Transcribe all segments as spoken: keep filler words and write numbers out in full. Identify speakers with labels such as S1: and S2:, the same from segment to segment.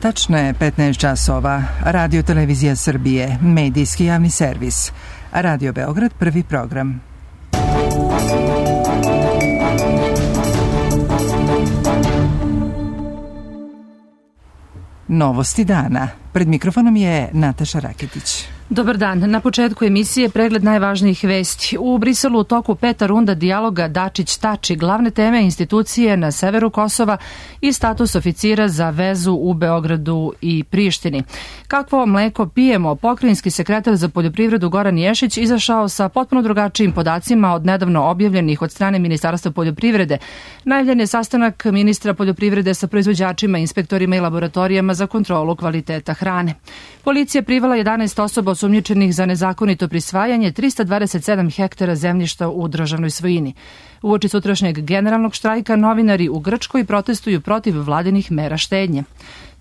S1: Tačno je petnaest časova. Radio Televizija Srbije, medijski javni servis. Radio Beograd, prvi program. Novosti dana. Pred mikrofonom je Nataša Raketić.
S2: Dobar dan. Na početku emisije pregled najvažnijih vesti. U Briselu u toku peta runda dijaloga Dačić-Tači, glavne teme institucije na severu Kosova i status oficira za vezu u Beogradu i Prištini. Kakvo mleko pijemo? Pokrajinski sekretar za poljoprivredu Goran Ješić izašao sa potpuno drugačijim podacima od nedavno objavljenih od strane Ministarstva poljoprivrede. Najavljen je sastanak ministra poljoprivrede sa proizvođačima, inspektorima i laboratorijama za kontrolu kvaliteta hrane. Policija privela jedanaest osoba osumnjičenih za nezakonito prisvajanje trista dvadeset sedam hektara zemljišta u državnoj svojini. Uoči sutrašnjeg generalnog štrajka novinari u Grčkoj protestuju protiv vladinih mera štednje.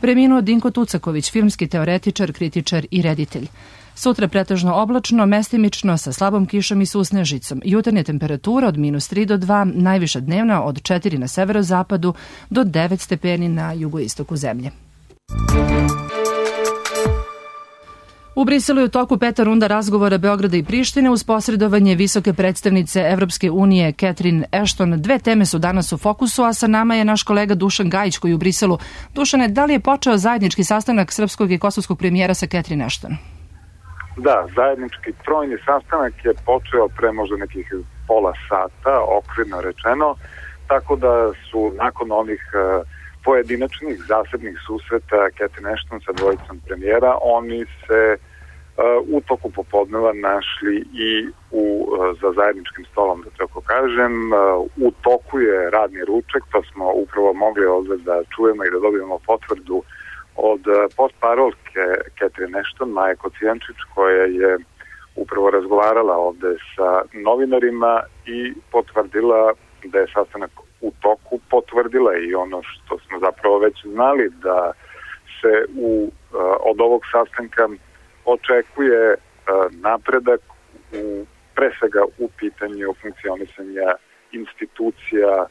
S2: Preminuo Dinko Tucaković, filmski teoretičar, kritičar i reditelj. Sutra pretežno oblačno, mestimično sa slabom kišom i susnežicom. Jutarnja temperatura od minus tri do dva, najviša dnevna od četiri na severozapadu do devet stepeni na jugoistoku zemlje. U Briselu je u toku peta runda razgovora Beograda i Prištine uz posredovanje visoke predstavnice Evropske unije Catherine Ashton. Dve teme su danas u fokusu, a sa nama je naš kolega Dušan Gajić koji je u Briselu. Dušane, da li je počeo zajednički sastanak srpskog i kosovskog premijera sa Catherine Ashton?
S3: Da, zajednički trojni sastanak je počeo pre možda nekih pola sata, okvirno rečeno, tako da su nakon onih pojedinačnih zasebnih susreta Catherine Ashton sa dvojicom premijera, oni se uh, u toku popodneva našli i u, uh, za zajedničkim stolom, da tako kažem. Uh, u toku je radni ručak, to smo upravo mogli ovdje da čujemo i da dobijemo potvrdu od uh, postparolke Catherine Ashton, Maje Kocijančić, koja je upravo razgovarala ovdje sa novinarima i potvrdila da je sastanak u toku, potvrdila i ono što smo zapravo već znali, da se u, od ovog sastanka očekuje napredak u, pre svega u pitanju funkcionisanja institucija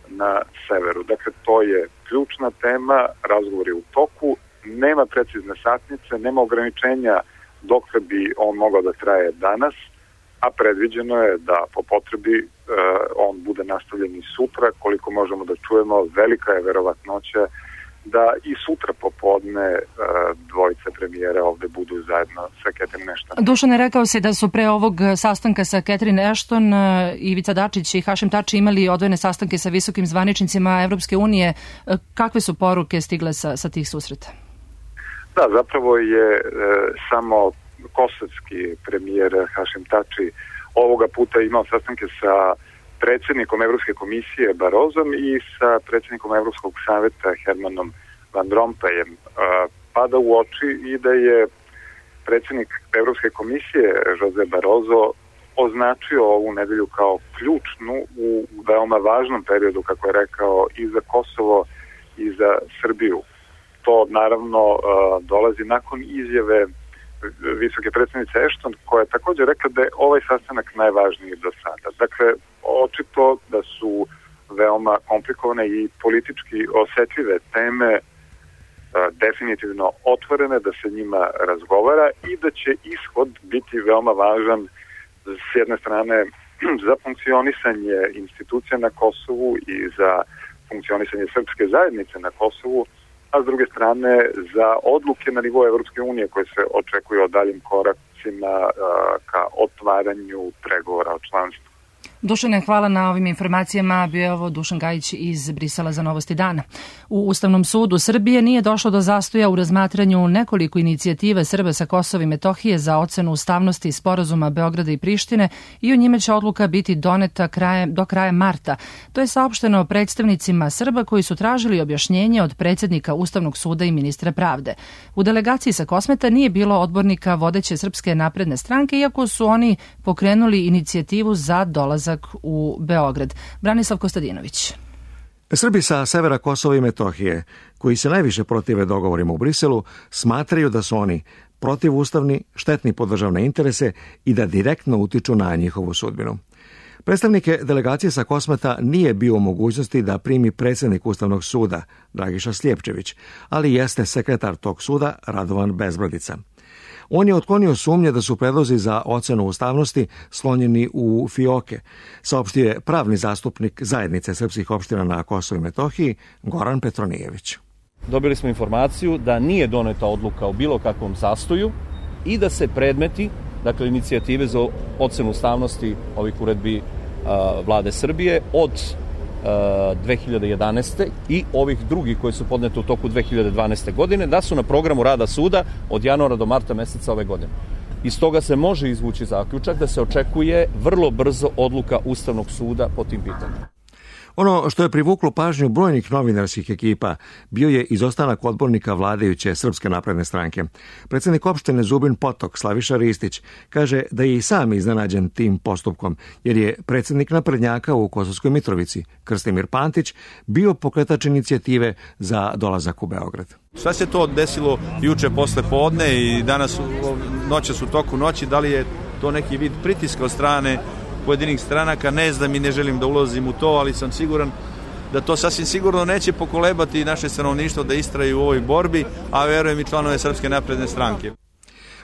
S3: na severu. Dakle, to je ključna tema, razgovor je u toku, nema precizne satnice, nema ograničenja dok bi on mogao da traje danas, a predviđeno je da po potrebi uh, on bude nastavljen i sutra. Koliko možemo da čujemo, velika je verovatnoća da i sutra popodne uh, dvojice premijera ovde budu zajedno sa Catherine Ashton.
S2: Dušane, rekao si da su pre ovog sastanka sa Catherine Ashton uh, Ivica Dačić i Hašim Tači imali odvojene sastanke sa visokim zvaničnicima Evropske unije. Uh, kakve su poruke stigle sa, sa tih susreta?
S3: Da, zapravo je uh, samo kosovski premijer Hašim Tači ovoga puta imao sastanke sa predsjednikom Evropske komisije Barozom i sa predsjednikom Evropskog savjeta Hermanom Van Rompuyem. Pada u oči i da je predsjednik Evropske komisije Jose Barozo označio ovu nedelju kao ključnu u veoma važnom periodu, kako je rekao, i za Kosovo i za Srbiju. To naravno dolazi nakon izjave visoke predstavnice Ashton, koja je također rekla da je ovaj sastanak najvažniji do sada. Dakle, očito da su veoma komplikovane i politički osetljive teme a, definitivno otvorene, da se njima razgovara i da će ishod biti veoma važan s jedne strane za funkcionisanje institucija na Kosovu i za funkcionisanje srpske zajednice na Kosovu, a s druge strane za odluke na nivou Evropske unije koje se očekuju o daljim koracima uh, ka otvaranju pregovora o članstvu.
S2: Dušane, hvala na ovim informacijama. Bio je ovo Dušan Gajić iz Brisela za Novosti dana. U Ustavnom sudu Srbije nije došlo do zastoja u razmatranju nekoliko inicijative Srba sa Kosova i Metohije za ocenu ustavnosti sporazuma Beograda i Prištine i o njime će odluka biti doneta kraje, do kraja marta. To je saopšteno predstavnicima Srba koji su tražili objašnjenje od predsjednika Ustavnog suda i ministra pravde. U delegaciji sa Kosmeta nije bilo odbornika vodeće Srpske napredne stranke, iako su oni pokrenuli inicijativu za dolazak u Beograd. Branislav Kostadinović.
S4: Srbi sa severa Kosova i Metohije, koji se najviše protive dogovorima u Briselu, smatraju da su oni protivustavni, štetni po državne interese i da direktno utiču na njihovu sudbinu. Predstavnike delegacije sa Kosmeta nije bio u mogućnosti da primi predsjednik Ustavnog suda, Dragiša Slijepčević, ali jeste sekretar tog suda, Radovan Bezbradica. On je otklonio sumnje da su predlozi za ocenu ustavnosti slonjeni u fioke, saopštio je pravni zastupnik Zajednice srpskih opština na Kosovu i Metohiji, Goran Petronijević.
S5: Dobili smo informaciju da nije doneta odluka o bilo kakvom zastoju i da se predmeti, dakle inicijative za ocenu ustavnosti ovih uredbi a, vlade Srbije od a, dve hiljade jedanaeste. i ovih drugih koje su podnete u toku dve hiljade dvanaeste. godine, da su na programu rada suda od januara do marta meseca ove godine. Iz toga se može izvući zaključak da se očekuje vrlo brzo odluka Ustavnog suda po tim pitanjima.
S4: Ono što je privuklo pažnju brojnih novinarskih ekipa bio je izostanak odbornika vladajuće Srpske napredne stranke. Predsjednik opštine Zubin Potok, Slaviša Ristić, kaže da je i sam iznenađen tim postupkom, jer je predsjednik naprednjaka u Kosovskoj Mitrovici, Krstimir Pantić, bio pokretač inicijative za dolazak u Beograd.
S6: Šta se to desilo juče posle podne i danas noćas u toku noći? Da li je to neki vid pritiska od strane pojedinih stranaka? Ne znam i ne želim da ulazim u to, ali sam siguran da to sasvim sigurno neće pokolebati naše stanovništvo da istraju u ovoj borbi, a verujem i članove Srpske napredne stranke.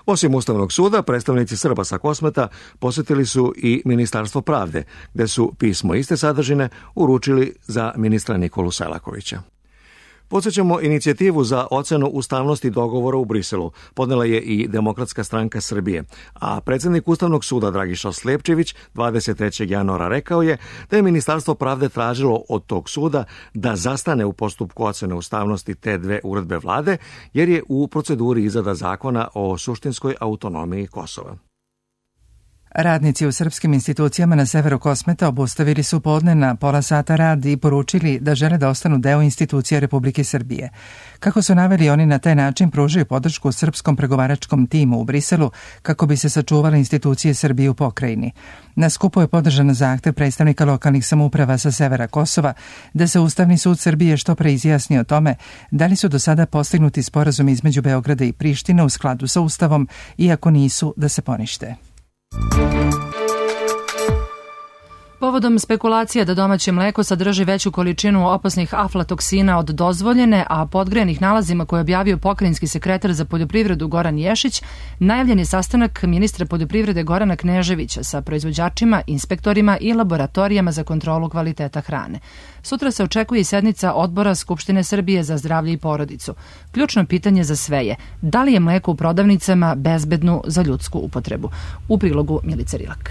S4: Osim Ustavnog suda, predstavnici Srba sa Kosmeta posjetili su i Ministarstvo pravde, gde su pismo iste sadržine uručili za ministra Nikolu Selakovića. Podsjećamo, inicijativu za ocenu ustavnosti dogovora u Briselu podnela je i Demokratska stranka Srbije, a predsjednik Ustavnog suda Dragiša Slijepčević dvadeset trećeg januara rekao je da je Ministarstvo pravde tražilo od tog suda da zastane u postupku ocene ustavnosti te dve uredbe vlade, jer je u proceduri izrada zakona o suštinskoj autonomiji Kosova.
S1: Radnici u srpskim institucijama na severu Kosmeta obustavili su podne na pola sata rad i poručili da žele da ostanu deo institucija Republike Srbije. Kako su naveli, oni na taj način pružaju podršku srpskom pregovaračkom timu u Briselu kako bi se sačuvale institucije Srbije u pokrajini. Na skupu je podržan zahtev predstavnika lokalnih samouprava sa severa Kosova da se Ustavni sud Srbije što pre izjasni o tome da li su do sada postignuti sporazumi između Beograda i Prištine u skladu sa Ustavom i ako nisu da se ponište.
S2: Povodom spekulacija da domaće mleko sadrži veću količinu opasnih aflatoksina od dozvoljene, a podgrejanih nalazima koje je objavio pokrajinski sekretar za poljoprivredu Goran Ješić, najavljen je sastanak ministra poljoprivrede Gorana Kneževića sa proizvođačima, inspektorima i laboratorijama za kontrolu kvaliteta hrane. Sutra se očekuje i sednica Odbora Skupštine Srbije za zdravlje i porodicu. Ključno pitanje za sve je da li je mleko u prodavnicama bezbedno za ljudsku upotrebu. U prilogu Milica Rilak.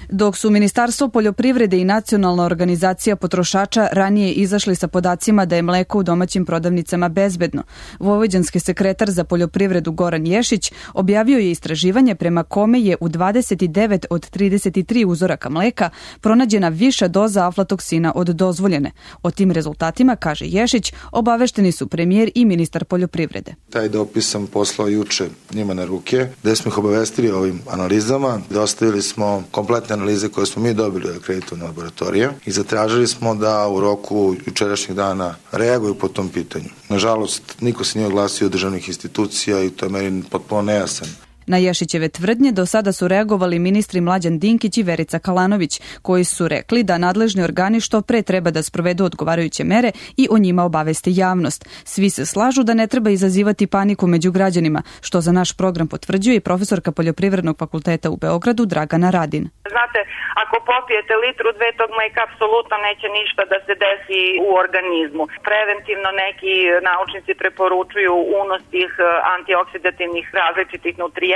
S7: Dok su Ministarstvo poljoprivrede i Nacionalna organizacija potrošača ranije izašli sa podacima da je mleko u domaćim prodavnicama bezbedno, vojvođanski sekretar za poljoprivredu Goran Ješić objavio je istraživanje prema kome je u dvadeset devet od trideset tri uzoraka mleka pronađena viša doza aflatoksina od dozvoljene. O tim rezultatima, kaže Ješić, obavešteni su premijer i ministar poljoprivrede.
S8: Taj dopis sam poslao juče njima na ruke, gde smo ih obavestili o ovim analizama. Dostavili smo kompletne analize koje smo mi dobili od akreditovane laboratorije i zatražili smo da u roku jučerašnjeg dana reaguju po tom pitanju. Nažalost, niko se nije oglasio od državnih institucija i to je meni potpuno nejasan.
S7: Na Ješićeve tvrdnje do sada su reagovali ministri Mlađan Dinkić i Verica Kalanović, koji su rekli da nadležni organi što pre treba da sprovedu odgovarajuće mere i o njima obavesti javnost. Svi se slažu da ne treba izazivati paniku među građanima, što za naš program potvrđuje i profesorka Poljoprivrednog fakulteta u Beogradu Dragana Radin.
S9: Znate, ako popijete litru dve tog mleka, apsolutno neće ništa da se desi u organizmu. Preventivno neki naučnici preporučuju unos tih antioksidativnih različitih nutrijenata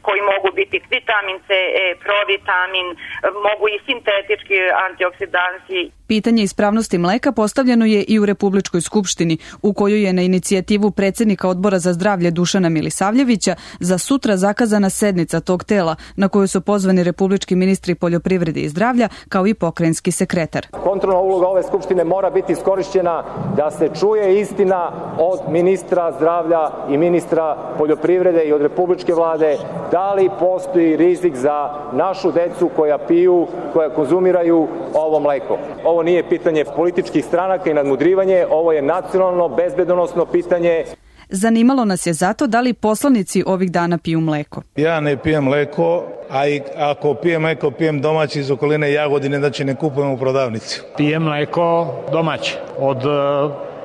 S9: koji mogu biti vitamin C, E, provitamin, mogu i sintetički antioksidansi.
S7: Pitanje ispravnosti mleka postavljeno je i u Republičkoj skupštini, u kojoj je na inicijativu predsjednika Odbora za zdravlje Dušana Milisavljevića za sutra zakazana sednica tog tela, na koju su pozvani republički ministri poljoprivrede i zdravlja, kao i pokrajinski sekretar.
S10: Kontrolna uloga ove skupštine mora biti iskorišćena da se čuje istina od ministra zdravlja i ministra poljoprivrede i od republičke vlade, da li postoji rizik za našu decu koja piju, koja konzumiraju ovo mleko. Ovo nije pitanje političkih stranaka i nadmudrivanje, ovo je nacionalno bezbedonosno pitanje.
S7: Zanimalo nas je zato da li poslanici ovih dana piju mleko.
S11: Ja ne pijem mleko, a i ako pijem mleko, pijem domaći iz okoline Jagodine, znači ne kupujem u prodavnici.
S12: Pijem mleko domaće od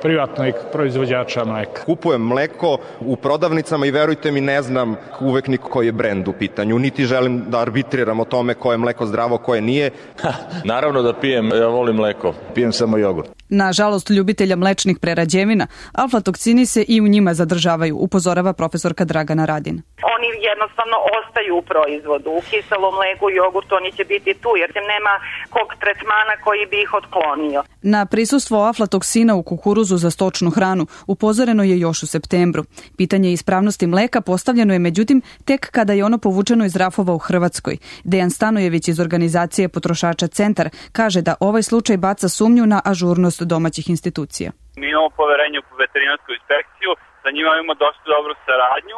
S12: privatnog proizvođača mleka.
S13: Kupujem mleko u prodavnicama i verujte mi, ne znam uvek ni koji je brend u pitanju, niti želim da arbitriram o tome koje je mleko zdravo, koje nije.
S14: Ha, naravno da pijem, ja volim mleko.
S11: Pijem samo jogurt.
S7: Nažalost, ljubitelja mlečnih prerađevina, aflatoksini se i u njima zadržavaju, upozorava profesorka Dragana Radin.
S9: Oni jednostavno ostaju u proizvodu. U kiselom mleku i jogurtu oni će biti tu, jer nema kog tretmana koji bi ih otklonio.
S7: Na prisustvo aflatoksina u kukuruzu za stočnu hranu upozoreno je još u septembru. Pitanje ispravnosti mleka postavljeno je međutim tek kada je ono povučeno iz rafova u Hrvatskoj. Dejan Stanojević iz organizacije Potrošača Centar kaže da ovaj slučaj baca sumnju na ažurnost domaćih institucija.
S15: Mi imamo poverenje u veterinarsku inspekciju, sa njima imamo dosta dobru saradnju,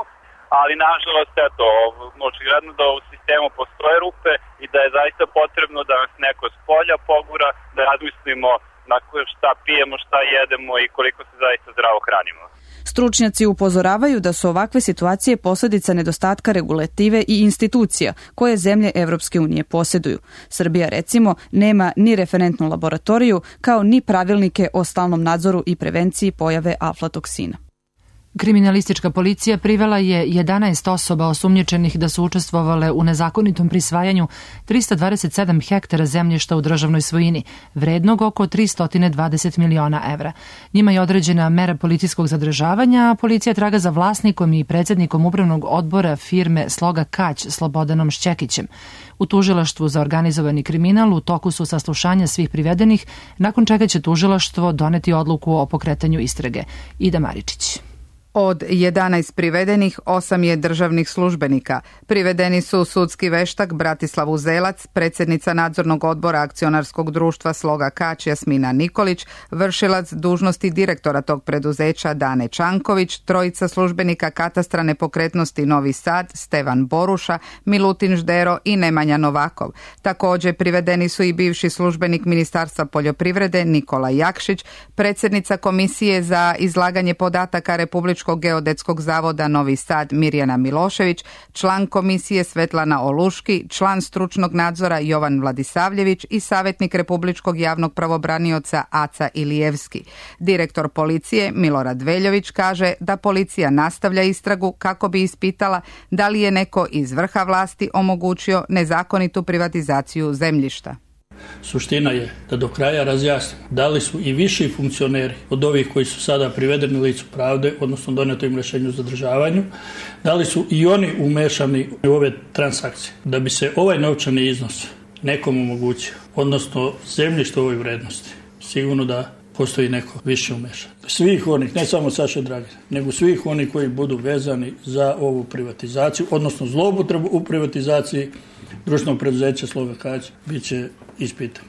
S15: ali nažalost eto, očigledno da u sistemu postoje rupe i da je zaista potrebno da nas neko s polja pogura, da razmislimo na šta pijemo, šta jedemo i koliko se zaista zdravo hranimo.
S7: Stručnjaci upozoravaju da su ovakve situacije posljedica nedostatka regulative i institucija koje zemlje Evropske unije posjeduju. Srbija, recimo, nema ni referentnu laboratoriju kao ni pravilnike o stalnom nadzoru i prevenciji pojave aflatoksina.
S2: Kriminalistička policija privela je jedanaest osoba osumnjičenih da su učestvovale u nezakonitom prisvajanju trista dvadeset sedam hektara zemljišta u državnoj svojini, vrednog oko tristo dvadeset miliona evra. Njima je određena mera policijskog zadržavanja, a policija traga za vlasnikom i predsjednikom upravnog odbora firme Sloga Kać Slobodanom Šćekićem. U tužilaštvu za organizovani kriminal u toku su saslušanja svih privedenih, nakon čega će tužilaštvo doneti odluku o pokretanju istrage. Ida Maričić.
S16: Od jedanaest privedenih, osam je državnih službenika. Privedeni su sudski veštak Bratislav Uzelac, predsjednica nadzornog odbora akcionarskog društva Sloga Kać Jasmina Nikolić, vršilac dužnosti direktora tog preduzeća Dane Čanković, trojica službenika katastra nepokretnosti Novi Sad, Stevan Boruša, Milutin Ždero i Nemanja Novakov. Također privedeni su i bivši službenik Ministarstva poljoprivrede Nikola Jakšić, predsjednica Komisije za izlaganje podataka Republičkog geodetskog zavoda Novi Sad Mirjana Milošević, član komisije Svetlana Oluški, član stručnog nadzora Jovan Vladisavljević i savjetnik Republičkog javnog pravobranioca Aca Ilijevski. Direktor policije Milorad Veljović kaže da policija nastavlja istragu kako bi ispitala da li je neko iz vrha vlasti omogućio nezakonitu privatizaciju zemljišta.
S12: Suština je da do kraja razjasnimo da li su i viši funkcioneri od ovih koji su sada privedeni licu pravde, odnosno doneto im rješenju o zadržavanju, da li su i oni umešani u ove transakcije, da bi se ovaj novčani iznos nekom omogućio, odnosno zemljište u ovoj vrednosti. Sigurno da postoji neko više umešan. Svih onih, ne samo Saše Dragina, nego svih onih koji budu vezani za ovu privatizaciju, odnosno zloupotrebu u privatizaciji društvenog preduzeća Sloga Kać, bit će ispitano.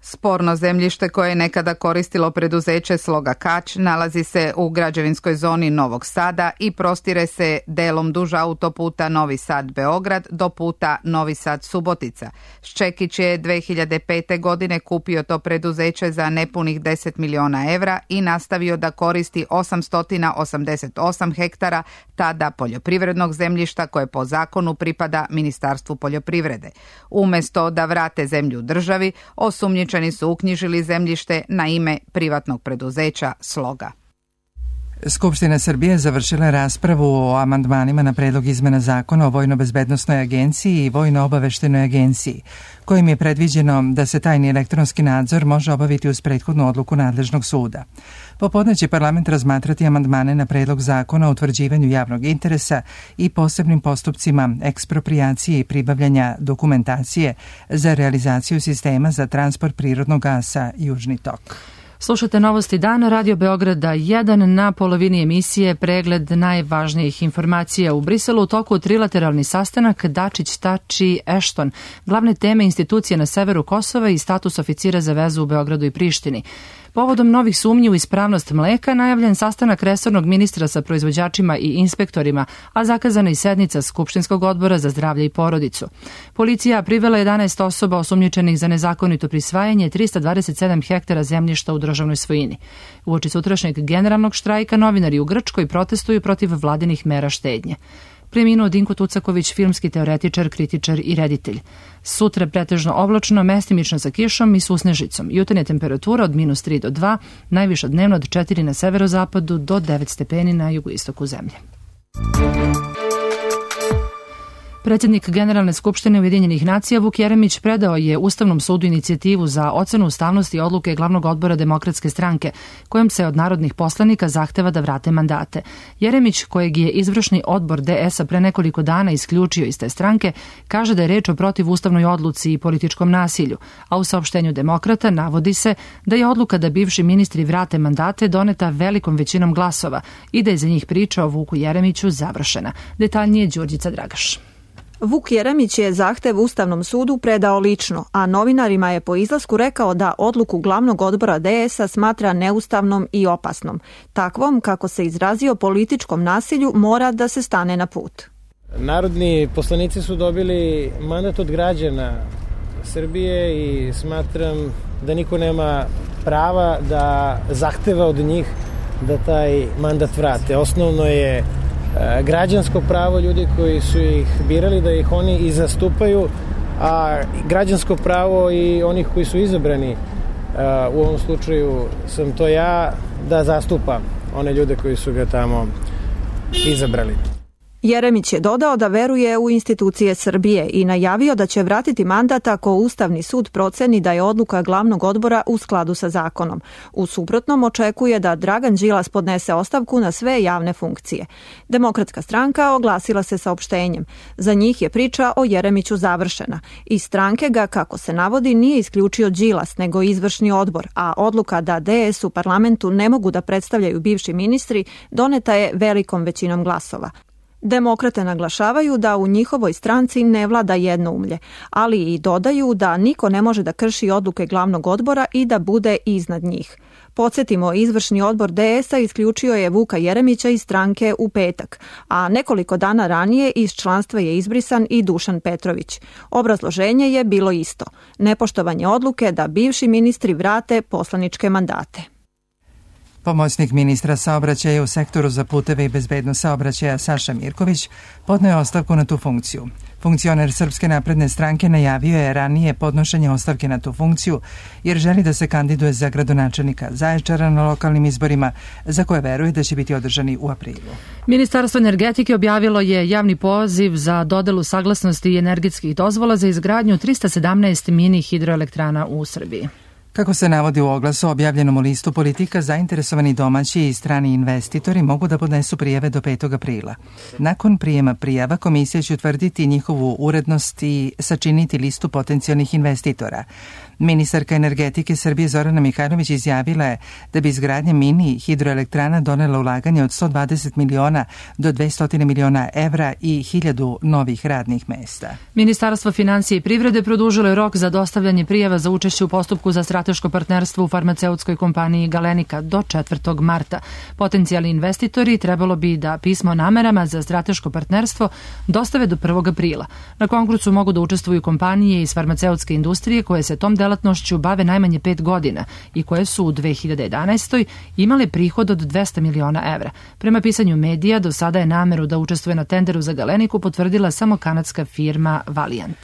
S16: Sporno zemljište koje je nekada koristilo preduzeće Sloga Kać nalazi se u građevinskoj zoni Novog Sada i prostire se delom duž autoputa Novi Sad-Beograd do puta Novi Sad-Subotica. Šćekić je dve hiljade pete. godine kupio to preduzeće za nepunih deset miliona evra i nastavio da koristi osamsto osamdeset osam hektara tada poljoprivrednog zemljišta koje po zakonu pripada Ministarstvu poljoprivrede. Umesto da vrate zemlju državi, osumnjičeni su uknjižili zemljište na ime privatnog preduzeća Sloga.
S1: Skupština Srbije završila raspravu o amandmanima na predlog izmena zakona o Vojno-bezbednosnoj agenciji i Vojno-obaveštenoj agenciji, kojim je predviđeno da se tajni elektronski nadzor može obaviti uz prethodnu odluku nadležnog suda. Popodne će parlament razmatrati amandmane na predlog zakona o utvrđivanju javnog interesa i posebnim postupcima eksproprijacije i pribavljanja dokumentacije za realizaciju sistema za transport prirodnog gasa Južni tok.
S2: Slušate Novosti dana, Radio Beograda jedan, na polovini emisije pregled najvažnijih informacija. U Briselu u toku trilateralni sastanak Dačić, Tači, Ešton, glavne teme institucije na severu Kosova i status oficira za vezu u Beogradu i Prištini. Povodom novih sumnji u ispravnost mleka najavljen sastanak resornog ministra sa proizvođačima i inspektorima, a zakazana i sednica Skupštinskog odbora za zdravlje i porodicu. Policija privela jedanaest osoba osumnjičenih za nezakonito prisvajanje trista dvadeset sedam hektara zemljišta u državnoj svojini. Uoči sutrašnjeg generalnog štrajka novinari u Grčkoj protestuju protiv vladinih mera štednje. Preminuo Dinko Tucaković, filmski teoretičar, kritičar i reditelj. Sutra pretežno oblačno, mestimično sa kišom i susnežicom. Jutarnja temperatura od minus tri do dva, najviša dnevno od četiri na severozapadu do devet stepeni na jugoistoku zemlje. Predsjednik Generalne skupštine Ujedinjenih nacija Vuk Jeremić predao je Ustavnom sudu inicijativu za ocenu ustavnosti odluke Glavnog odbora Demokratske stranke, kojom se od narodnih poslanika zahteva da vrate mandate. Jeremić, kojeg je izvršni odbor D S-a pre nekoliko dana isključio iz te stranke, kaže da je reč o protivustavnoj odluci i političkom nasilju, a u saopštenju Demokrata navodi se da je odluka da bivši ministri vrate mandate doneta velikom većinom glasova i da je za njih priča o Vuku Jeremiću završena. Detaljnije Đurđica Dragaš.
S17: Vuk Jeremić je zahtev Ustavnom sudu predao lično, a novinarima je po izlasku rekao da odluku Glavnog odbora D S-a smatra neustavnom i opasnom. Takvom, kako se izrazio, političkom nasilju mora da se stane na put.
S18: Narodni poslanici su dobili mandat od građana Srbije i smatram da niko nema prava da zahteva od njih da taj mandat vrate. Osnovno je građansko pravo ljudi koji su ih birali da ih oni i zastupaju, a građansko pravo i onih koji su izabrani, u ovom slučaju sam to ja, da zastupam one ljude koji su ga tamo izabrali.
S17: Jeremić je dodao da veruje u institucije Srbije i najavio da će vratiti mandat ako Ustavni sud proceni da je odluka Glavnog odbora u skladu sa zakonom. U suprotnom očekuje da Dragan Đilas podnese ostavku na sve javne funkcije. Demokratska stranka oglasila se saopštenjem. Za njih je priča o Jeremiću završena. Iz stranke ga, kako se navodi, nije isključio Đilas, nego izvršni odbor, a odluka da D S u parlamentu ne mogu da predstavljaju bivši ministri doneta je velikom većinom glasova. Demokrate naglašavaju da u njihovoj stranci ne vlada jednoumlje, ali i dodaju da niko ne može da krši odluke Glavnog odbora i da bude iznad njih. Podsjetimo, izvršni odbor D S-a isključio je Vuka Jeremića iz stranke u petak, a nekoliko dana ranije iz članstva je izbrisan i Dušan Petrović. Obrazloženje je bilo isto, nepoštovanje odluke da bivši ministri vrate poslaničke mandate.
S1: Pomoćnik ministra saobraćaja u sektoru za puteve i bezbednost saobraćaja Saša Mirković podneo je ostavku na tu funkciju. Funkcioner Srpske napredne stranke najavio je ranije podnošenje ostavke na tu funkciju jer želi da se kandiduje za gradonačelnika Zaječara na lokalnim izborima za koje veruje da će biti održani u aprilu.
S2: Ministarstvo energetike objavilo je javni poziv za dodelu saglasnosti i energetskih dozvola za izgradnju trista sedamnaest mini hidroelektrana u Srbiji.
S1: Kako se navodi u oglasu objavljenom u listu Politika, zainteresovani domaći i strani investitori mogu da podnesu prijave do petog aprila. Nakon prijema prijava, komisija će utvrditi njihovu urednost i sačiniti listu potencijalnih investitora. Ministarka energetike Srbije Zorana Mihajlović izjavila je da bi izgradnja mini hidroelektrana donela ulaganje od sto dvadeset miliona do dvesta miliona evra i hiljadu novih radnih mesta.
S2: Ministarstvo finansija i privrede produžilo je rok za dostavljanje prijava za učešće u postupku za strateško partnerstvo u farmaceutskoj kompaniji Galenika do četvrtog marta. Potencijalni investitori trebalo bi da pismo o namerama za strateško partnerstvo dostave do prvog aprila. Na konkursu mogu da učestvuju kompanije iz farmaceutske industrije koje se tom delatnošću bave najmanje pet godina i koje su u dve hiljade jedanaestoj imale prihod od dvesta miliona evra. Prema pisanju medija, do sada je nameru da učestvuje na tenderu za Galeniku potvrdila samo kanadska firma Valiant.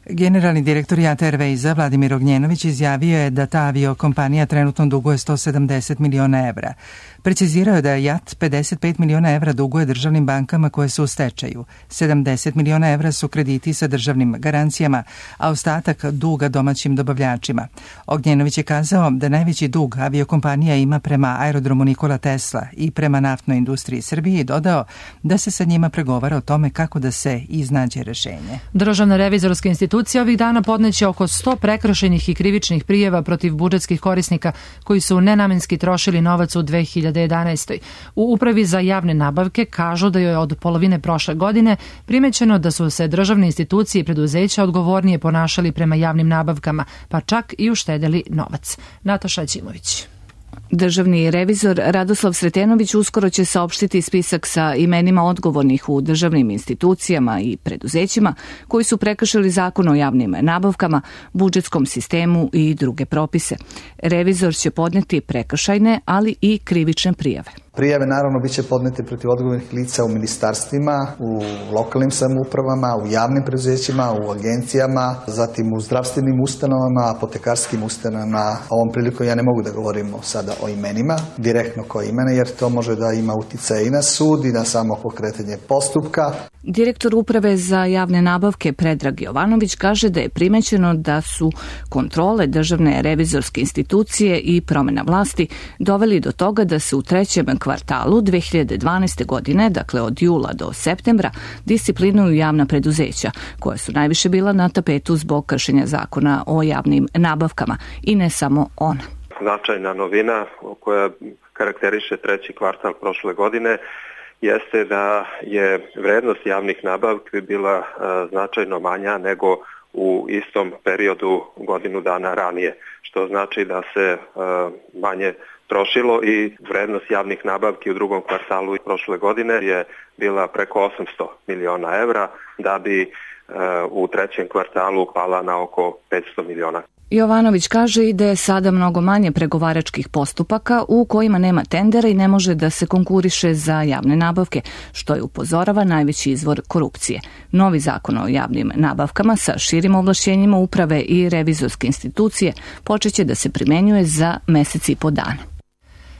S1: Generalni direktor JAT Airwaysa Vladimir Ognjenović izjavio je da ta aviokompanija trenutno duguje sto sedamdeset miliona evra. Precizirao je da JAT pedeset pet miliona evra duguje državnim bankama koje su u stečaju. sedamdeset miliona evra su krediti sa državnim garancijama, a ostatak duga domaćim dobavljačima. Ognjenović je kazao da najveći dug aviokompanija ima prema aerodromu Nikola Tesla i prema naftnoj industriji Srbije i dodao da se sa njima pregovara o tome kako da se iznađe rešenje.
S2: Državna revizorska institucija ovih dana podneće oko sto prekršajnih i krivičnih prijava protiv budžetskih korisnika koji su nenamenski trošili novac u dve hiljade jedanaestoj. U Upravi za javne nabavke kažu da je od polovine prošle godine primećeno da su se državne institucije i preduzeća odgovornije ponašali prema javnim nabavkama, pa čak i uštedeli novac. Nataša Ćimović.
S7: Državni revizor Radoslav Sretenović uskoro će saopštiti spisak sa imenima odgovornih u državnim institucijama i preduzećima koji su prekršili Zakon o javnim nabavkama, budžetskom sistemu i druge propise. Revizor će podneti prekršajne, ali i krivične prijave.
S19: Prijave naravno biće podnete protiv odgovornih lica u ministarstvima, u lokalnim samoupravama, u javnim preduzećima, u agencijama, zatim u zdravstvenim ustanovama, apotekarskim ustanovama. Ovom prilikom ja ne mogu da govorimo sada o imenima, direktno koje imena, jer to može da ima uticaj i na sud i na samo pokretanje postupka.
S7: Direktor Uprave za javne nabavke Predrag Jovanović kaže da je primećeno da su kontrole Državne revizorske institucije i promjena vlasti doveli do toga da se u trećem kvartalu dve hiljade dvanaeste. godine, dakle od jula do septembra, disciplinuju javna preduzeća, koja su najviše bila na tapetu zbog kršenja Zakona o javnim nabavkama, i ne samo ona.
S20: Značajna novina koja karakteriše treći kvartal prošle godine jeste da je vrednost javnih nabavki bila značajno manja nego u istom periodu godinu dana ranije, što znači da se manje trošilo i vrednost javnih nabavki u drugom kvartalu prošle godine je bila preko osamsto miliona evra, da bi u trećem kvartalu pala na oko petsto miliona.
S7: Jovanović kaže i da je sada mnogo manje pregovaračkih postupaka u kojima nema tendera i ne može da se konkuriše za javne nabavke, što je, upozorava, najveći izvor korupcije. Novi zakon o javnim nabavkama sa širim ovlašćenjima uprave i revizorske institucije počeće da se primenjuje za mesec i po dana.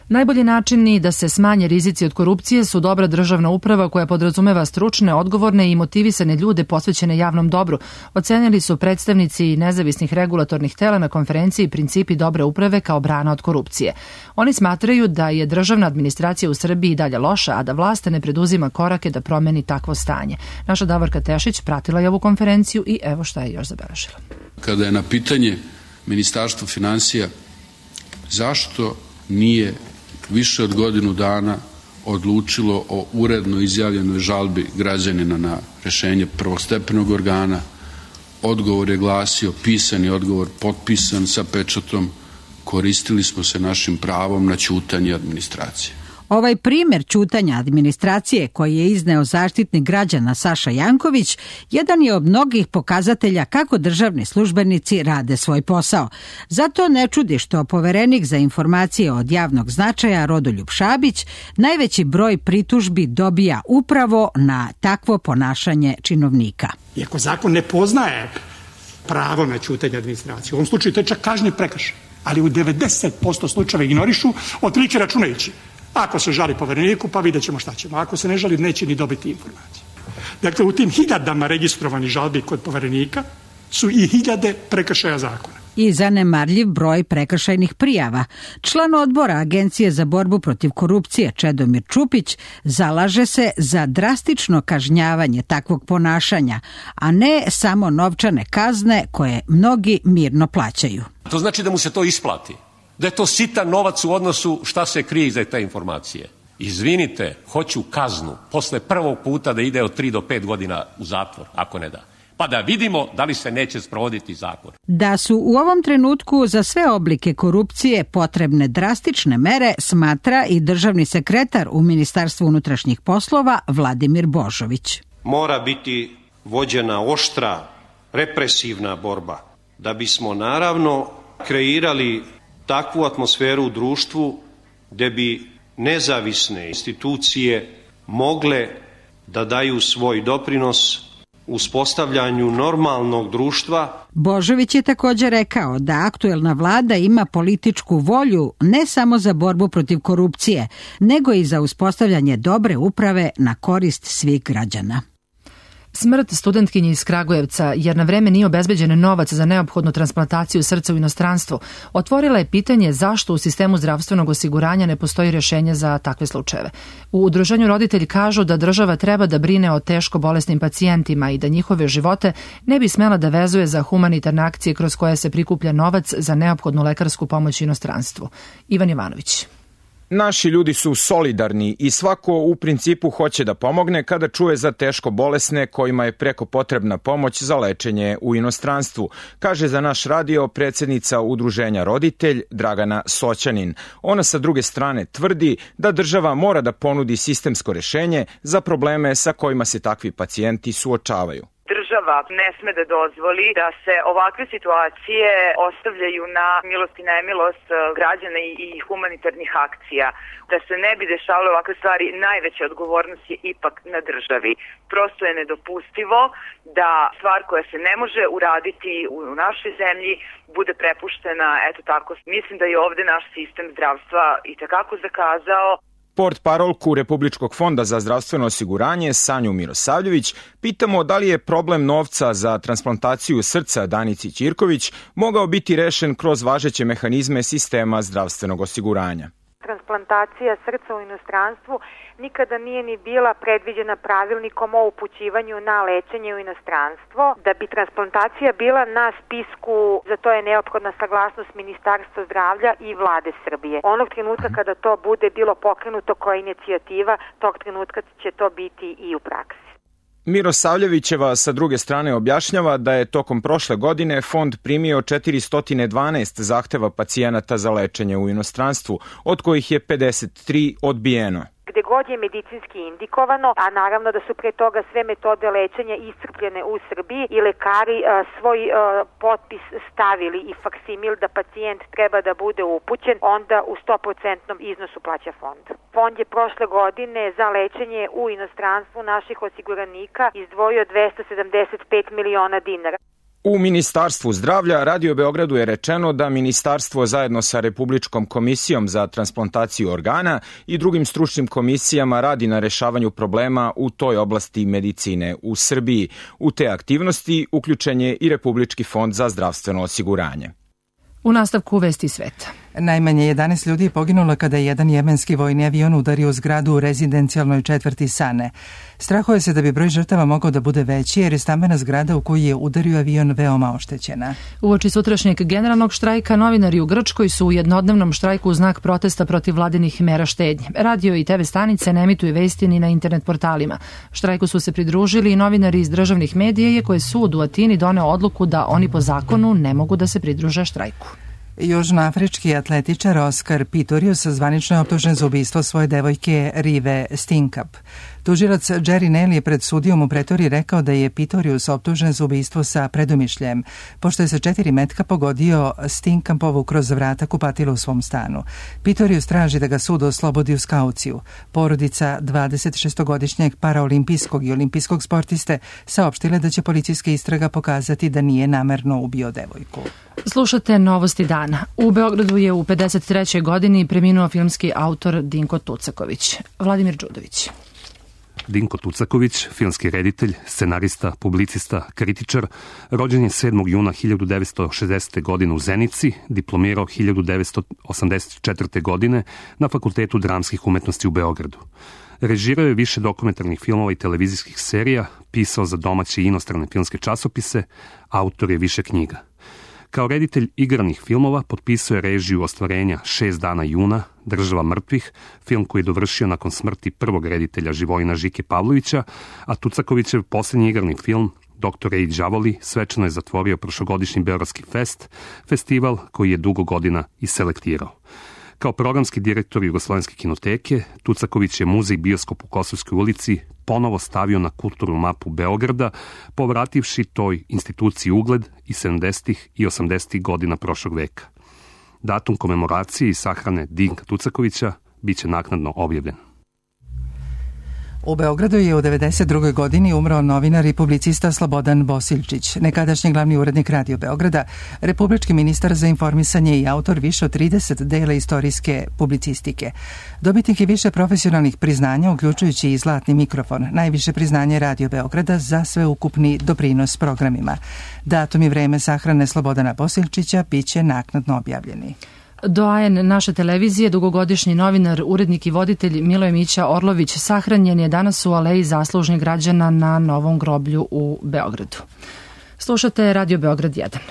S2: Najbolji načini da se smanje rizici od korupcije su dobra državna uprava koja podrazumeva stručne, odgovorne i motivisane ljude posvećene javnom dobru, ocenili su predstavnici nezavisnih regulatornih tela na konferenciji Principi dobre uprave kao brana od korupcije. Oni smatraju da je državna administracija u Srbiji dalje loša, a da vlast ne preduzima korake da promeni takvo stanje. Naša Davorka Tešić pratila je ovu konferenciju i evo šta je još zabeležila.
S21: Kada je na pitanje Ministarstva finansija zašto nije više od godinu dana odlučilo o uredno izjavljenoj žalbi građanina na rešenje prvostepenog organa, odgovor je glasio, pisani odgovor, potpisan sa pečatom, koristili smo se našim pravom na ćutanje administracije.
S22: Ovaj primjer ćutanja administracije koji je izneo Zaštitnik građana Saša Janković jedan je od mnogih pokazatelja kako državni službenici rade svoj posao. Zato ne čudi što Poverenik za informacije od javnog značaja Rodoljub Šabić najveći broj pritužbi dobija upravo na takvo ponašanje činovnika.
S23: Iako zakon ne poznaje pravo na ćutanje administracije, u ovom slučaju to je čak kažnjiv prekršaj, ali u devedeset posto slučajeva ignorišu, otprilike računajući. Ako se žali Povereniku, pa vidjet ćemo šta ćemo. Ako se ne žali, neće ni dobiti informacije. Dakle, u tim hiljadama registrovanih žalbi kod Poverenika su i hiljade prekršaja zakona.
S22: I zanemarljiv broj prekršajnih prijava. Član odbora Agencije za borbu protiv korupcije Čedomir Čupić zalaže se za drastično kažnjavanje takvog ponašanja, a ne samo novčane kazne koje mnogi mirno plaćaju.
S24: To znači da mu se to isplati. Da je to sitan novac u odnosu šta se krije iza te informacije. Izvinite, hoću kaznu posle prvog puta da ide od tri do pet godina u zatvor, ako ne da. Pa da vidimo da li se neće sprovoditi zakon.
S22: Da su u ovom trenutku za sve oblike korupcije potrebne drastične mere, smatra i državni sekretar u Ministarstvu unutrašnjih poslova Vladimir Božović.
S25: Mora biti vođena oštra, represivna borba, da bismo naravno kreirali takvu atmosferu u društvu gde bi nezavisne institucije mogle da daju svoj doprinos uspostavljanju normalnog društva.
S22: Božović je također rekao da aktuelna vlada ima političku volju ne samo za borbu protiv korupcije, nego i za uspostavljanje dobre uprave na korist svih građana.
S2: Smrt studentkinje iz Kragujevca, jer na vreme nije obezbeđen novac za neophodnu transplantaciju srca u inostranstvu, otvorila je pitanje zašto u sistemu zdravstvenog osiguranja ne postoji rješenje za takve slučajeve. U udruženju roditelji kažu da država treba da brine o teško bolesnim pacijentima i da njihove živote ne bi smela da vezuje za humanitarne akcije kroz koje se prikuplja novac za neophodnu lekarsku pomoć u inostranstvu. Ivan Jovanović.
S3: Naši ljudi su solidarni i svako u principu hoće da pomogne kada čuje za teško bolesne kojima je preko potrebna pomoć za lečenje u inostranstvu, kaže za naš radio predsjednica Udruženja Roditelj Dragana Soćanin. Ona sa druge strane tvrdi da država mora da ponudi sistemsko rešenje za probleme sa kojima se takvi pacijenti suočavaju.
S9: Država ne sme da dozvoli da se ovakve situacije ostavljaju na milost i nemilost građana i humanitarnih akcija. Da se ne bi dešavale ovakve stvari, najveća odgovornost je ipak na državi. Prosto je nedopustivo da stvar koja se ne može uraditi u našoj zemlji bude prepuštena, eto tako. Mislim da je ovde naš sistem zdravstva i takako zakazao.
S3: Portparolku Republičkog fonda za zdravstveno osiguranje Sanju Mirosavljević pitamo da li je problem novca za transplantaciju srca Danici Ćirković mogao biti rešen kroz važeće mehanizme sistema zdravstvenog osiguranja.
S4: Transplantacija srca u inostranstvu nikada nije ni bila predviđena pravilnikom o upućivanju na lečenje u inostranstvo. Da bi transplantacija bila na spisku, za to je neophodna saglasnost Ministarstva zdravlja i Vlade Srbije. Onog trenutka kada to bude bilo pokrenuto kao inicijativa, tog trenutka će to biti i u praksi.
S3: Mirosavljevićeva sa druge strane objašnjava da je tokom prošle godine fond primio četiristo dvanaest zahteva pacijenata za lečenje u inostranstvu, od kojih je pedeset tri odbijeno.
S4: Gde god je medicinski indikovano, a naravno da su pre toga sve metode lečenja iscrpljene u Srbiji i lekari a, svoj a, potpis stavili i faksimil da pacijent treba da bude upućen, onda u sto posto iznosu plaća fond. Fond je prošle godine za lečenje u inostranstvu naših osiguranika izdvojio dvesta sedamdeset pet miliona dinara.
S3: U Ministarstvu zdravlja Radio Beogradu je rečeno da Ministarstvo zajedno sa Republičkom komisijom za transplantaciju organa i drugim stručnim komisijama radi na rešavanju problema u toj oblasti medicine u Srbiji. U te aktivnosti uključen je i Republički fond za zdravstveno osiguranje.
S2: U nastavku vesti sveta.
S1: Najmanje jedanaest ljudi je poginulo kada je jedan jemenski vojni avion udario u zgradu u rezidencijalnoj četvrti Sane. Strahuje se da bi broj žrtava mogao da bude veći jer je stambena zgrada u koju je udario avion veoma oštećena.
S2: Uoči sutrašnjeg generalnog štrajka novinari u Grčkoj su u jednodnevnom štrajku u znak protesta protiv vladinih mera štednje. Radio i te ve stanice ne emituju vesti ni na internet portalima. Štrajku su se pridružili i novinari iz državnih medija, iako je sud u Atini doneo odluku da oni po zakonu ne mogu da se pridruže štrajku.
S1: Južnoafrički atletičar Oskar Pistorius zvanično je optužen za ubistvo svoje devojke Rive Stinkap. Tužilac Jerry Nell je pred sudijom u Pretoriji rekao da je Pistorius optužen za ubistvo sa predumišljajem, pošto je sa četiri metka pogodio Stinkapovu kroz vrata kupatila u svom stanu. Pistorius traži da ga sud oslobodi uz kauciju. Porodica dvadesetšestogodišnjeg paraolimpijskog i olimpijskog sportiste saopštile da će policijska istraga pokazati da nije namerno ubio devojku.
S2: Slušate Novosti dana. U Beogradu je u pedeset trećoj godini preminuo filmski autor Dinko Tucaković. Vladimir Đudović.
S5: Dinko Tucaković, filmski reditelj, scenarista, publicista, kritičar, rođen je sedmog juna hiljadu devetsto šezdesete. godine u Zenici, diplomirao hiljadu devetsto osamdeset četvrte. godine na Fakultetu dramskih umetnosti u Beogradu. Režirao je više dokumentarnih filmova i televizijskih serija, pisao za domaće i inostrane filmske časopise, autor je više knjiga. Kao reditelj igranih filmova potpisao je režiju ostvarenja Šest dana juna, Država mrtvih, film koji je dovršio nakon smrti prvog reditelja Živojina Žike Pavlovića, a Tucakovićev posljednji igrani film Doktore i đavoli svečano je zatvorio prošlogodišnji Beogradski fest, festival koji je dugo godina i selektirao. Kao programski direktor Jugoslovenske kinoteke, Tucaković je muzej Bioskop u Kosovskoj ulici ponovo stavio na kulturnu mapu Beograda, povrativši toj instituciji ugled i sedamdesetih i osamdesetih godina prošlog veka. Datum komemoracije i sahrane Dinka Tucakovića biće naknadno objavljen.
S1: U Beogradu je u devedeset drugoj godini umro novinar i publicista Slobodan Bosiljčić, nekadašnji glavni urednik Radio Beograda, republički ministar za informisanje i autor više od trideset dela istorijske publicistike. Dobitnik je više profesionalnih priznanja, uključujući i Zlatni mikrofon, najviše priznanje Radio Beograda za sveukupni doprinos programima. Datum i vreme sahrane Slobodana Bosiljčića biće naknadno objavljeni.
S2: Doajen naše televizije, dugogodišnji novinar, urednik i voditelj Miloje Mića Orlović sahranjen je danas u Aleji zaslužnih građana na Novom groblju u Beogradu. Slušate Radio Beograd jedan.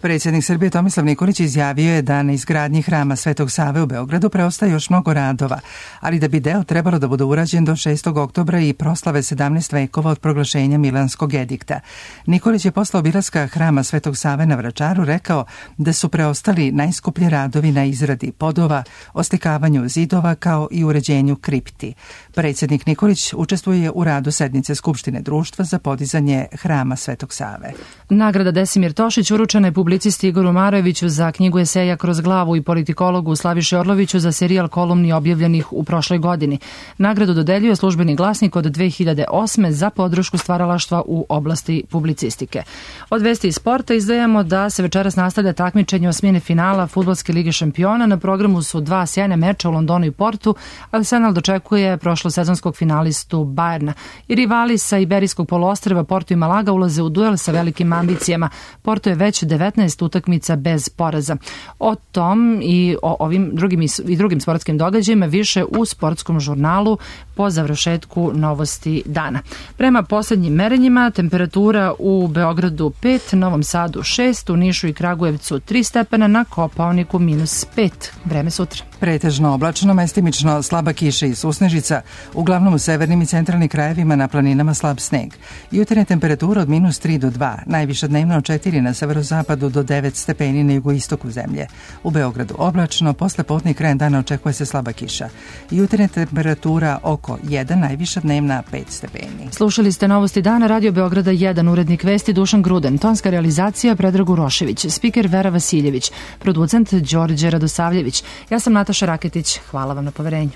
S1: Predsjednik Srbije Tomislav Nikolić izjavio je da na izgradnji hrama Svetog Save u Beogradu preostaje još mnogo radova, ali da bi deo trebalo da bude urađen do šestog oktobra i proslave sedamnaest vekova od proglašenja Milanskog edikta. Nikolić je posle obilaska hrama Svetog Save na Vračaru rekao da su preostali najskuplji radovi na izradi podova, oslikavanju zidova kao i uređenju kripti. Predsjednik Nikolić učestvuje u radu sednice Skupštine društva za podizanje hrama Svetog Save.
S2: Nagrada Desimir Tošić uručena je publicisti Igoru Marojeviću za knjigu eseja Kroz glavu i politikologu Slaviši Orloviću za serijal kolumni objavljenih u prošloj godini. Nagradu dodeljuje Službeni glasnik od dve hiljade osme za podršku stvaralaštva u oblasti publicistike. Od vesti iz sporta izdajemo da se večeras nastavlja takmičenje osmine finala Fudbalske lige šampiona. Na programu su dva sjajna meča u Londonu i Portu. Arsenal dočekuje prošlosezonskog finalistu Bajerna. I rivali sa Iberijskog poluostrva Porto i Malaga ulaze u duel sa velikim ambicijama. Porto je već devetnaest utakmica bez poraza. O tom i o ovim drugim i drugim sportskim događajima više u sportskom žurnalu po završetku novosti dana. Prema poslednjim merenjima temperatura u Beogradu pet, Novom Sadu šest, u Nišu i Kragujevcu tri stepena, na Kopaoniku minus pet. Vreme sutra.
S1: Pretežno oblačno, mestimično slaba kiša i susnežica, uglavnom u severnim i centralnim krajevima, na planinama slab sneg. Jutarnja temperatura od minus tri do dva, najviša dnevna od četiri na severozapadu do devet stepeni na jugoistoku zemlje. U Beogradu oblačno, posle podne krajem dana očekuje se slaba kiša. Jutarnja temperatura oko jedan, najviša dnevna pet stepeni.
S2: Slušali ste novosti dana, Radio Beograda jedan, urednik vesti Dušan Gruden, tonska realizacija Predrag Urošević, spiker Vera Vasiljević, producent Đorđe Radosavljević. Ja sam Nataša Raketić, hvala vam na poverenju.